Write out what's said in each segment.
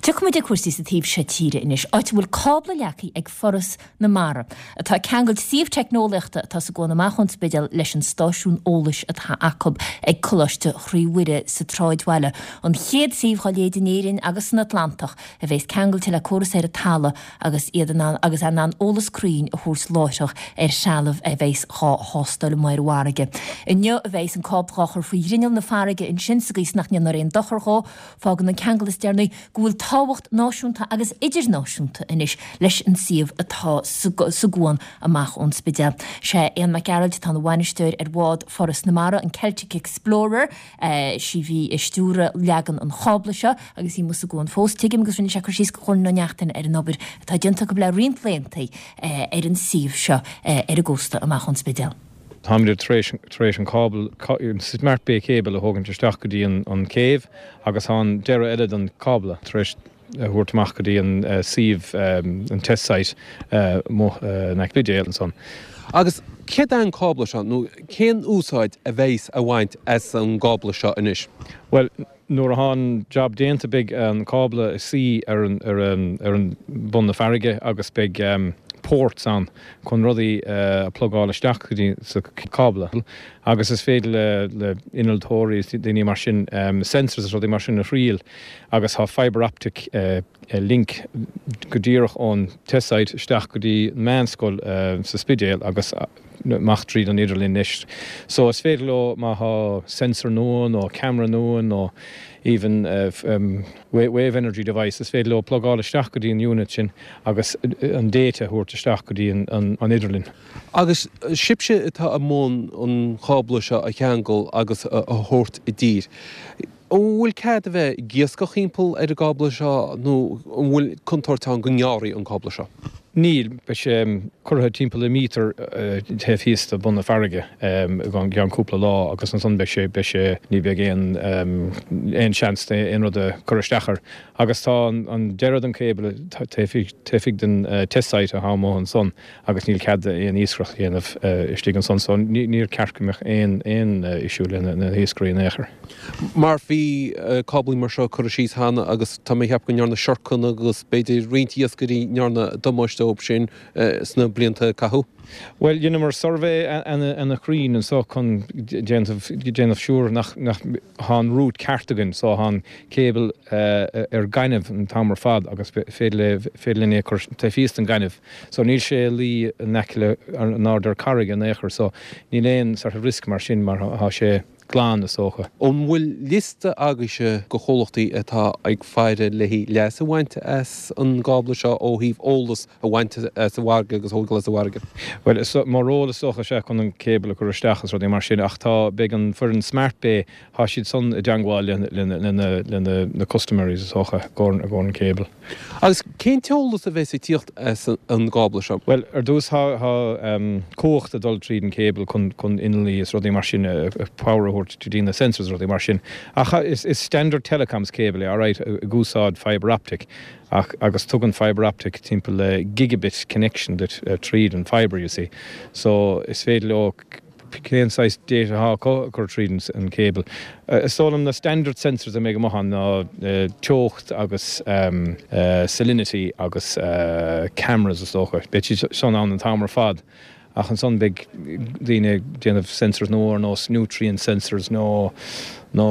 Tiocfaimid ag cúrsaí sa taobh seo tíre anois, áit a bhfuil cábla leagtha ag Foras na Mara, atá ag ceangailt suíomh teicneolaíochta atá sa gcuan amach ón Spidéal leis an stáisiún eolais atá acu ag Coláiste Chroí Mhuire sa tsráidbhaile, an chéad suíomh dhá leithéid in Éirinn agus san Atlantach a bheas ceangailte le córas ar an talamh agus iad in ann agus é in ann eolas cruinn a thabhairt láithreach ar threalamh a bheas dhá thástáil amuigh ar an bhfarraige. Inniu a bheas an cábla dhá chur faoi ghrinneall na farraige ansin sa gcaoi is nach ndéanfar aon dochar dhó. Fágann an ceangal is deireanaí go bhfuil tábhacht náisiúnta agus idirnáisiúnta anois leis an suíomh atá sa gcuan amach ón Spidéal. Sé Aodhán Mac Gearailt atá ina bhainisteoir ar bhád Foras na Mara, an Celtic Explorer. Sí a bhí ag stiúradh leagan an chábla seo agus í amuigh sa gcuan fós, tuigim, agus rinne sé cur síos do Dhoireann Ní Neachtain ar an obair atá déanta acu le roinnt laethanta ar an suíomh seo ar an gcósta amach ón Spidéal. Táimid tar éis tar éis an cábal, an Smart Bay Cable a thógaint isteach go dtí an céibh agus tá an deireadh eile den cábla tar éis a thabhairt amach go dtí an suíomh, an test site amuigh in aice Spidéal ansan. Agus céard é an cábla seo nó cén úsáid a bheas á bhaint as an gcábla seo anois? Bhuel, Nuair atá an jab déanta beidh an cábla ag suí ar an ar an ar an bun na farraige agus beidh ports ann chun rudaí a plugáil isteach go dtí sa cábla agus is féidir le le innealtóirí is daoine mar sin sensors is rudaí mar sin a thriail agus tá fibre optic link go díreach ón test site isteach go dtí an meánscoil sa Spidéal agus amach tríd an idirlíon anois. So is féidir leo má thá sensor nua nó camera nua nó even wave energy device is féidir leo plugáil isteach go dtí an unit sin agus an data a thabhairt isteach go dtí an idirlíon. Agus sibhse atá i mbun an chábla seo a cheangal agus a thabhairt i dtír. An bhfuil cead a bheith ag iascach thimpeall ar an gcábla seo nó an bhfuil contúirt ann go ngearrfaí an cábla seo? Níl. Beidh sé curtha timpeall le míotar taobh thíos de bun na farraige i gceann cúpla lá agus ansan beidh sé, beidh sé, ní bheidh aon, aon seans aon rud a cur isteach air. Agus tá an deireadh den cable taobh thiar den test site atá amuigh ansan agus níl cead aon iascaireacht a dhéanamh istigh ansan so níor ceart go mbeadh aon, aon issue le na hiascairí in aon chor. Mar bhí cáblaí mar seo curtha síos cheana agus tá mé ag ceapadh go ndearna siorcanna agus b'fhéidir roinnt iascairí ndearna damáiste dóibh sin sna blianta a caitheadh. Bhuel, dheineamar suirbhé ana chruinn anso chun déanamh déanamh siúr nach nach thá an route ceart againn so thá an cable ar gaineamh an t-am ar fad agus féidir le féidir linn é a chur taobh thíos den gaineamh so níl sé ag luí in aice le in airde ar carraig in aon chor so níl aon sort of risk mar sin mar thá sé glan, is dócha. An bhfuil liosta agaibhse de chomhlachtaí atá ag faire le haghaidh leas a bhaint as an gcábla seo ó thaobh eolas a bhaint as an bhfarraige agus a thógáil as an bhfarraige? Bhuel, is mo ról is dócha is ea chun an cable a chur isteach is rudaí mar sin ach tá, beidh an foireann Smart Bay, tá siad san i dteangmháil le le na custaiméirí is dócha i gcomhair an cable. Agus cén t-eolas a bheas ag tíocht as an gcábla seo? Bhuel, ar dtús tá cumhacht ag dul tríd an cable chun chun innealraí is rudaí mar sin, power a thabhairt go dtí na sensors is rudaí mar sin. Ach is standard telecoms cable é alright, ag úsáid fibre optic ach agus tugann fibre optic timpeall le gigabit connection duit tríd an fibre, you see. So is féidir leo cén saghas data atá acu a chur tríd an cable. Is dóigh liom na standard sensors a mbeidh amuigh ann ná teocht agus salinity agus cameras is dócha. Beidh siad san ann an t-am ar fad ach ansan beidh daoine ag déanamh sensors nua ar nós nutrient sensors nó nó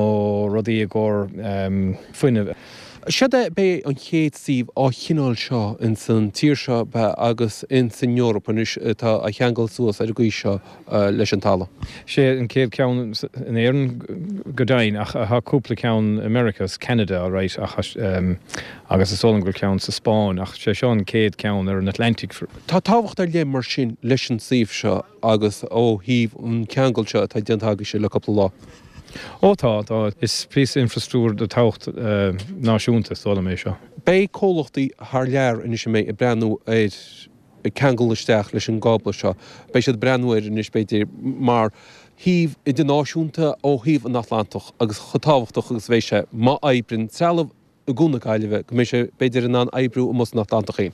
rudaí i gcomhair fuinnimh. Séard é, b'é an chéad suíomh á chineál seo ins an tír seo agus ins an Eoraip anois atá á cheangal suas ar an gcaoi seo leis an talamh. Sé an chéad ceann in Éirinn go deimhin ach tá cúpla ceann i Meiriceá is Ceanada alright ach agus is dóigh liom go bhfuil ceann sa Spáinn ach sé seo an chéad ceann ar an Atlantic. Tá tábhacht ar leith mar sin leis an suíomh seo agus ó thaobh an ceangal seo atá déanta agaibhse le cúpla lá. Ó tá, tá. Is píosa infrastruchtúir de tábhacht náisiúnta is dóigh liom é seo. Beidh comhlachtaí thar lear anois a mbeidh ag breathnú ar ceangal isteach leis an gcábla seo, beidh siad ag breathnú air anois b'fhéidir mar shuíomh idirnáisiúnta ó thaobh an Atlantach agus chomh tábhachtach agus a bheidh sé má oibríonn trealamh i gCuan na Gaillimhe, go mbeidh sé, b'fhéidir, in ann oibriú amuigh san Atlantach féin.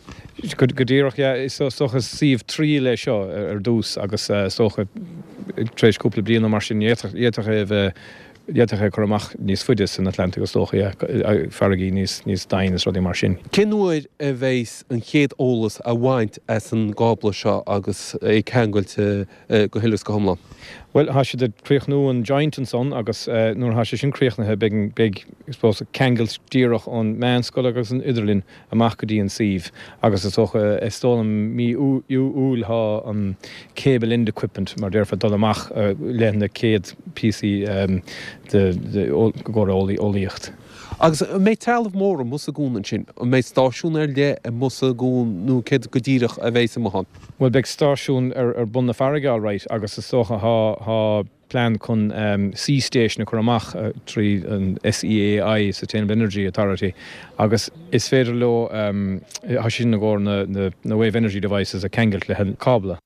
Go díreach, yeah. Is dócha is suíomh triail é seo ar dtús agus is dócha tar éis cúpla bliain nó mar sin d'fhéadfadh é a bheith. D'fhéadfadh é a chur amach níos faide san Atlantic is dócha, yeah, farraigí níos, níos doimhne is rudaí mar sin. Cén uair a bheidhs an chéad eolas á bhaint as an gcábla seo agus é ceangailte go huile is go hiomlán? Bhuel, tá siad ag críochnú an joint ansan agus nuair atá sé sin críochnaithe beidh, beidh, I suppose, ceangailt díreach ón meánscoil agus an idirlíon amach go dtí an suíomh agus is dócha, is dóigh liom mí Iúil thá an cable end equipment mar déarfá ag dul amach le na céad píosaí de i gcomhair eolaíocht. Agus an mbeidh trealamh mór amuigh sa gcuan ansin? An mbeidh stáisiún ar leith amuigh sa gcuan nó céard go díreach a bheidhs amuigh ann? Bhuel beidh stáisiún ar bun na farraige alright agus is dócha thá, thá plean chun sea station a chur amach trí an SEAI, Sustainable Energy Authority, agus is féidir leo, tá sin i gcomhair na wave energy devices a cheangailt le an cábla.